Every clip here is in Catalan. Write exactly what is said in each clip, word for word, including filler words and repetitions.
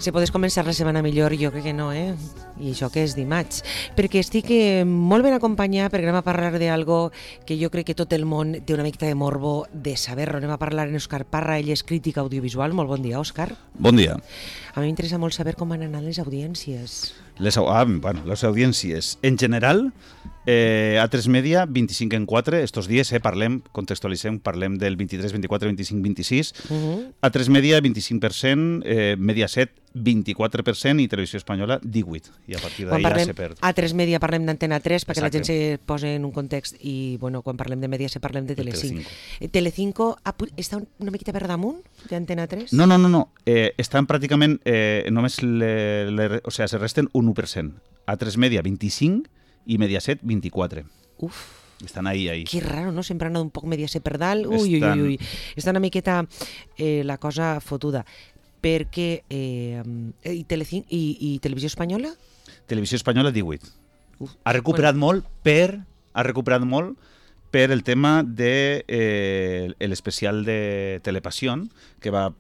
Si podes començar la setmana millor, jo crec que no, eh? I això que és dimarts. Perquè estic eh, molt ben acompanyada, perquè anem a parlar d'algo que jo crec que tot el món té una mica de morbo de saber-lo. Anem a parlar amb Òscar Parra, ell és crític audiovisual. Molt bon dia, Òscar. Bon dia. A mi m'interessa molt saber com van anar les audiències. Les, ah, bueno, les audiències. En general, eh, A tres Media, vint-i-cinc en quatre, estos dies, eh, parlem, contextualitzem, parlem del vint-i-tres, vint-i-quatre, vint-i-cinc, vint-i-sis. Uh-huh. A tres Media, vint-i-cinc per cent, eh, Mediaset, vint-i-quatre per cent i Televisió Espanyola, divuit. I a partir d'ahir ja se perd. A tres Media parlem d'Antena tres, perquè Exacte. La gent se posa en un context, i bueno, quan parlem de Mediaset parlem de Telecinco. Telecinco, Telecinco està una miqueta per damunt d'Antena tres? No, no, no, no. Eh, estan pràcticament, eh, només le, le, o sea, se resten un u per cent. A tres Media, vint-i-cinc, i Mediaset, vint-i-quatre. Uf. Estan ahí, ahí. Que raro, no? Sempre han anat un poc Mediaset per dalt. Ui, Estan... ui, ui, ui. Està una miqueta eh, la cosa fotuda. Perquè... Eh, i, Telecin... I, I Televisió Espanyola? Televisió Espanyola, divuit. Uf. Ha recuperat bueno. molt per... Ha recuperat molt per el tema de eh, l'especial de Telepasión, que va,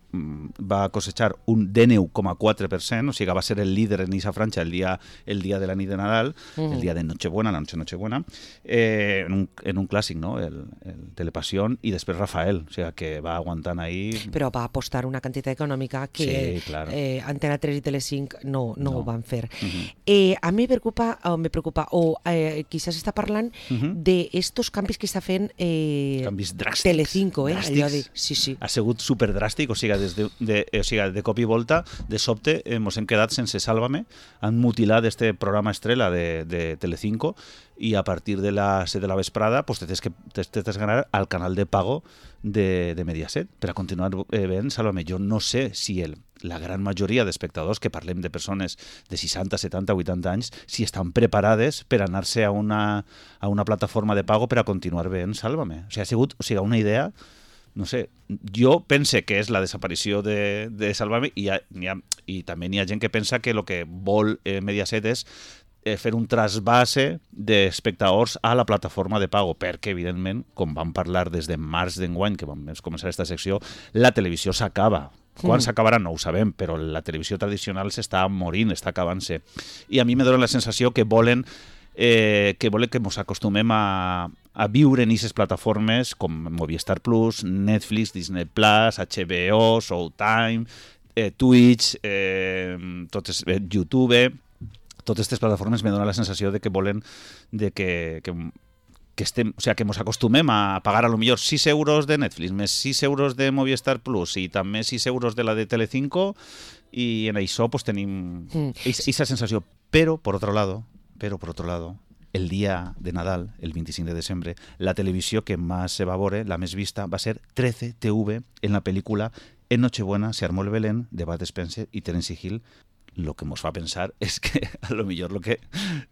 va cosechar un dinou coma quatre per cent, o sigui que va ser el líder en aquesta franja el dia, el dia de la nit de Nadal, uh-huh. el dia de Nochebuena, la noche Nochebuena, eh, en, un, en un clàssic, no? el, el Telepasión, i després Rafael, o sigui que va aguantant ahí... Però va apostar una quantitat econòmica que sí, claro. eh, Antena tres i Telecinc no, no, no. ho van fer. Uh-huh. eh, a mi me preocupa, o me preocupa, o eh, quizás està parlant uh-huh. d'estos canvis que està fent eh, canvis dràstics. Telecinco, eh? Dràstics. Allò de... Sí, sí. Ha sigut superdràstic, o sigui, des de, de, o sigui, de cop i volta, de sobte, eh, mos hem quedat sense Sálvame, han mutilat este programa estrella de, de Telecinco, i a partir de les set de la vesprada pues, te tens que te tens que ganar al canal de pago de, de Mediaset per a continuar eh, veient Sálvame. Jo no sé si el, la gran majoria d'espectadors, que parlem de persones de seixanta, setanta, vuitanta anys, si estan preparades per anar-se a una, a una plataforma de pago per a continuar veient Sálvame. O sigui, ha sigut o sigui, una idea... No sé, jo pense que és la desaparició de, de Sálvame, i, ha, ha, i també hi ha gent que pensa que el que vol eh, Mediaset és eh, fer un trasbase d'espectadors a la plataforma de pago, perquè, evidentment, com vam parlar des de març d'enguany, que vam començar aquesta secció, la televisió s'acaba. Quan mm. s'acabarà no ho sabem, però la televisió tradicional s'està morint, està acabant-se. I a mi me dona la sensació que volen eh, que volen que ens acostumem a, a viure en aquestes plataformes com Movistar Plus, Netflix, Disney Plus, H B O, Showtime, eh, Twitch, eh, totes, eh, YouTube. Totes aquestes plataformes me donen la sensació de que volen de que, que, que estem, o sea, que ens acostumem a pagar a lo millor sis euros de Netflix, més sis euros de Movistar Plus i també sis euros de la de Telecinco, i en això pues, tenim aquesta mm. sensació. Però, por otro lado, pero por otro lado, el día de Nadal, el veinticinc de desembre, la televisió que más se va a veure, la més vista, va ser trece T V en la pel·lícula En Nochebuena se armó el Belén de Bud Spencer y Terence Hill. Lo que nos fa pensar es que a lo millor lo que,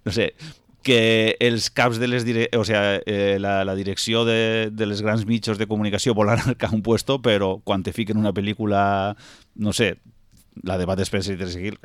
no sé, que els caps de les dire... o sea, eh, la, la direcció de, de les grans mitjos de comunicació volen arcar un puesto, però quan te fiquen una pel·lícula, no sé, la de Bud Spencer y Terence Hill,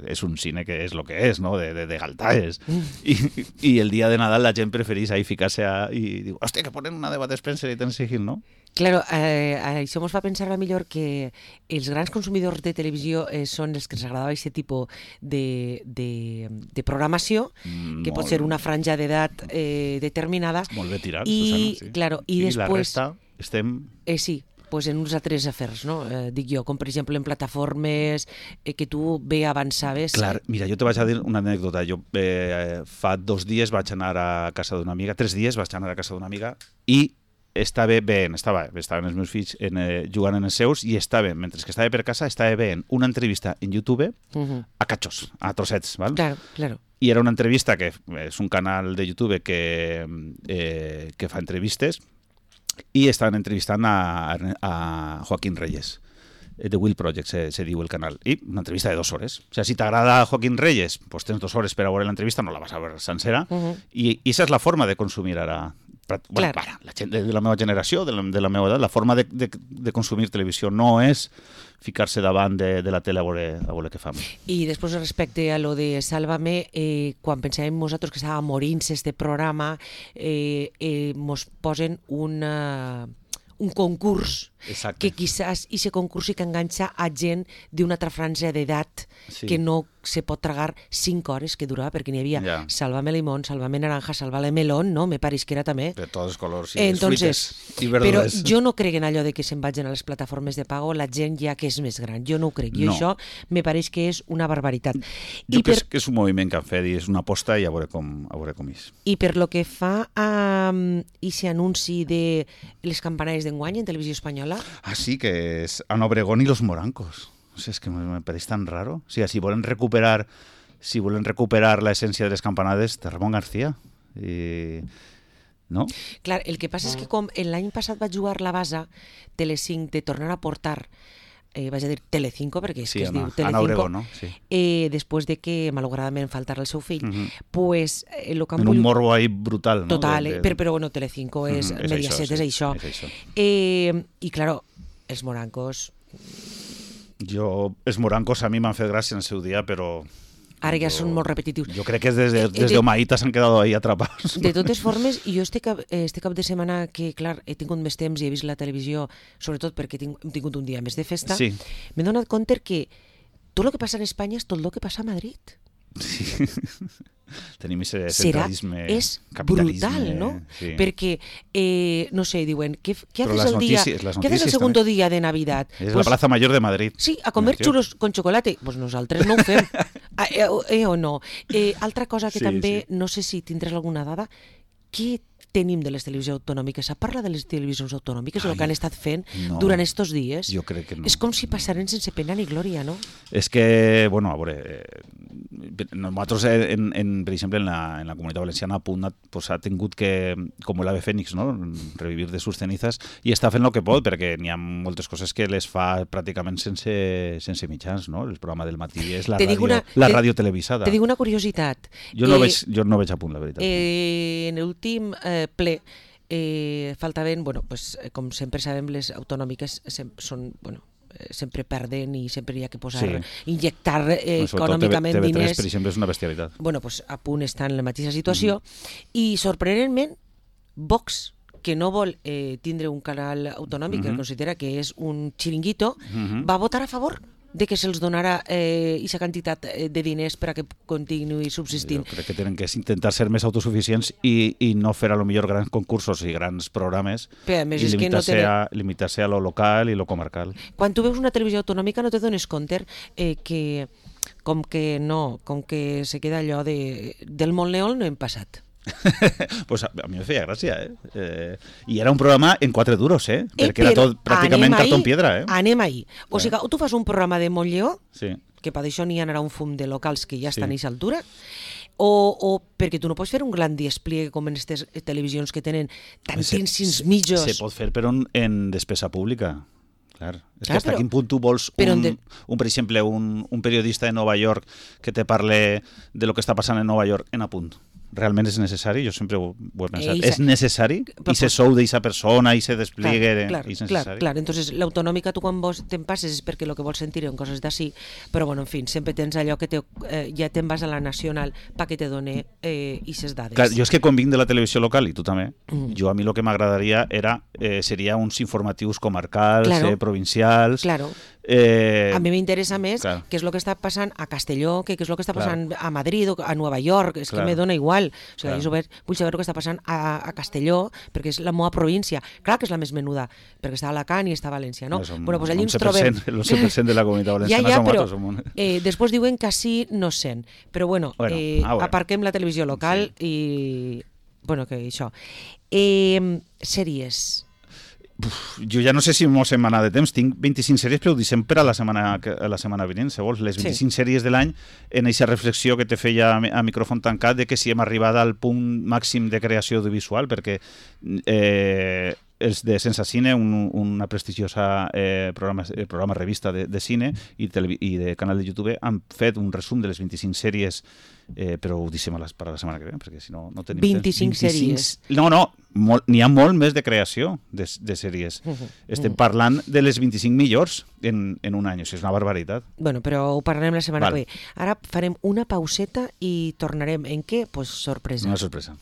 és un cine que és el que és, no? De, de, de galtaes. I, I el dia de Nadal la gent preferís ahí ficar-se a... i diu, hòstia, que ponen una de Bud Spencer y Terence Hill, no? Claro, eh, això ens fa pensar a millor que els grans consumidors de televisió eh, són els que ens agradava aquest tipus de, de, de programació, mm, que pot ser una franja d'edat eh, determinada. Molt bé tirat, i, Susana, sí. Claro, i, I després, la resta estem... Eh, sí, pues en uns altres afers, no? Eh, dic jo, com per exemple en plataformes eh, que tu bé avançaves. Clar, mira, jo te vaig a dir una anècdota. Jo eh, fa dos dies vaig anar a casa d'una amiga, tres dies vaig anar a casa d'una amiga i estava bé, estava, estaven els meus fills en, eh, jugant en els seus i estava, mentre que estava per casa, estava veient una entrevista en YouTube uh-huh. a cachos, a trossets, val? Claro, claro. I era una entrevista que és un canal de YouTube que, eh, que fa entrevistes, i estaven entrevistant a, a Joaquín Reyes. The Will Project se, se diu el canal, i una entrevista de dos hores. O sigui, si t'agrada Joaquín Reyes, pues tens dos hores per a veure l'entrevista, no la vas a veure sencera, uh-huh. i, i esa és la forma de consumir ara. Bueno, para, la gent de la meva generació, de la, de la meva edat, la forma de, de, de consumir televisió no és ficar-se davant de, de la tele a veure, a veure què fam. I després respecte a lo de Sálvame, eh, quan pensàvem nosaltres que estava morint-se este programa, eh, eh, mos posen una, un concurs Exacte. que quizás i se concursi que enganxa a gent d'una altra franja d'edat Sí. que no se pot tragar cinc hores que durava, perquè n'hi havia Ja. Sálvame Limón, Sálvame Naranja, Sálvame Melón, no? Me pareix que era també. De tots els colors i les Entonces, fruites i però verdures. jo no crec en allò de que se'n vagin a les plataformes de pago la gent ja que és més gran. Jo no ho crec. Jo No. això me pareix que és una barbaritat. Jo I crec per, que és un moviment que han fet i és una aposta i a veure com, a veure com és. I per lo que fa a um, ese anunci de les campanades d'enguany en televisió espanyola, Ah, sí, que és Ana Obregón i los morancos. O sea, es que me, me pareix tan raro. O sigui, si volen recuperar si volen recuperar la essència de les campanades de Ramon García. I... No? clar, el que passa és que com l'any passat va jugar la base Telecinc de tornar a portar eh, vaig a dir Telecinco, perquè és Sí, que es Ana, diu Telecinco, Ana Obregón, no? Sí. eh, després de que malauradament faltara el seu fill, Mhm. pues, eh, lo que han En un volgut- morbo ahí brutal, no? Total, De- eh, de- però, però bueno, Telecinco és, Mhm, és Mediaset, això, és sí, això. és això. Eh, I, claro, els morancos, Jo, els morancos a mi m'han fet gràcia en el seu dia, però... ara ja jo- són molt repetitius. Jo crec que des de, Eh, des de- de Omaïta s'han quedat ahí atrapados. De totes formes, jo este cap, eh, este cap de setmana que, clar, he tingut més temps i he vist la televisió, sobretot perquè tinc, hem tingut un dia més de festa, Sí. m'he donat compte que tot el que passa en Espanya és tot el que passa a Madrid. Sí. Tenim aquest Serà, centralisme, és capitalisme, brutal, no? Sí. Perquè, eh, no sé, diuen, què, què Però haces les el día, notícies- les ¿qué haces el notícies segundo també. día de Navidad? És Pues, la Plaza Mayor de Madrid. sí, a comer Tio. xulos con chocolate. Pues nosaltres no ho fem. Ah, eh, eh, o no. Eh, altra cosa que Sí, també, sí. no sé si tindràs alguna dada, què tenim de les televisions autonòmiques? Se parla de les televisions autonòmiques, del Ai, que han estat fent no. durant estos dies? Jo crec que no. És com si passaren sense pena ni glòria, no? És que, bueno, a veure, eh, nosaltres, en, en, per exemple, en la, en la Comunitat Valenciana, Punt pues, ha tingut que, com l'Ave Fénix, no? Revivir de sus cenizas, i està fent el que pot, perquè n'hi ha moltes coses que les fa pràcticament sense, sense mitjans, no? El programa del matí és la, Te ràdio, dic una- la te- ràdio televisada. Te dic una curiositat. Jo no, Eh, veig, jo no veig a Punt, la veritat. Eh, en l'últim eh, ple eh, faltaven, bueno, pues, eh, com sempre sabem, les autonòmiques sem són, bueno, eh, sempre perden i sempre hi ha que posar, Sí. injectar eh, Sobretot econòmicament T V tres, diners. per exemple, és una bestialitat. Bueno, pues, a punt està en la mateixa situació i sorprenentment Vox, que no vol eh, tindre un canal autonòmic, que Mhm. considera que és un xiringuito, Mhm. va votar a favor de que se'ls donara eh, aquesta quantitat eh, de diners per a que continuï subsistint. Jo crec que tenen que intentar ser més autosuficients i, i no fer a lo millor grans concursos i grans programes Però a més i és que no limitar-se tenen- a, limitar-se a lo local i lo comarcal. Quan tu veus una televisió autonòmica no te dones compte eh, que com que no, com que se queda allò de, del Montleón no hem passat. Pues a, a mi me feia gràcia, eh? eh? I era un programa en quatre duros, eh? Eh, Perquè era però tot pràcticament anem cartó ahí, en piedra, eh? Anem ahí. O Eh. sigui, tu fas un programa de Montleó, Sí. que per això n'hi ha un fum de locals que ja estan Sí. a aquesta altura, o, o perquè tu no pots fer un gran despliegue com en aquestes televisions que tenen tantíssims mitjos. Se pot fer, però en, en despesa pública. Clar. És Clar, que fins però- a quin punt tu vols però un, de- un, per exemple, un, un periodista de Nova York que te parle de lo que està passant en Nova York en Apunt? Realment és necessari? Jo sempre ho, ho he pensat. Eh, i és se- necessari? Però I se pues- sou d'eixa persona i se despliegue? Clar, clar, és clar, necessari? clar. Entonces, l'autonòmica tu quan vos te'n passes és perquè el que vols sentir en coses d'ací, però bueno, en fi, sempre tens allò que te, eh, ja te'n vas a la nacional pa que te done eh, ixes dades. Clar, jo és que quan vinc de la televisió local, i tu també, Mm. jo a mi el que m'agradaria era eh, seria uns informatius comarcals, Claro. eh, provincials... Claro. Eh, A mi m'interessa més clar. què és el que està passant a Castelló, que què és el que està Clar. passant a Madrid o a Nova York, és Clar. que me dona igual. O sigui, Clar. jo vull, vull saber el que està passant a, a Castelló, perquè és la meva província. Clar que és la més menuda, perquè està a Alacant i està a València, no? som bueno, pues allí ens onze per cent, trobem... el onze per cent de la comunitat Ja, valenciana ja, som però nosaltres, som un- eh, després diuen que així no es sent. Però bueno, Bueno, eh, a veure. aparquem la televisió local i... Bueno, que això. Eh, sèries... Jo ja no sé si mos hem anat de temps. Tinc vint-i-cinc sèries, però ho deixem per a la setmana, que- a la setmana vinent, si vols. Les Sí. vint-i-cinc sèries de l'any, en aquesta reflexió que te feia a mi- a micròfon tancat de que si hem arribat al punt màxim de creació audiovisual, perquè eh, els de Sense Cine, un, una prestigiosa eh, programa, eh, programa revista de, de cine i, televi- i de canal de YouTube, han fet un resum de les vint-i-cinc sèries, eh, però ho deixem a les, per a la setmana que ve, perquè si no, no tenim vint-i-cinc temps. sèries. No, no, molt- n'hi ha molt més de creació de, de sèries. Mhm. Estem parlant de les vint-i-cinc millors en, en un any, o sigui, és una barbaritat. Bueno, però ho parlarem la setmana Val. que ve. Ara farem una pauseta i tornarem en què? Pues sorpresa. Una sorpresa.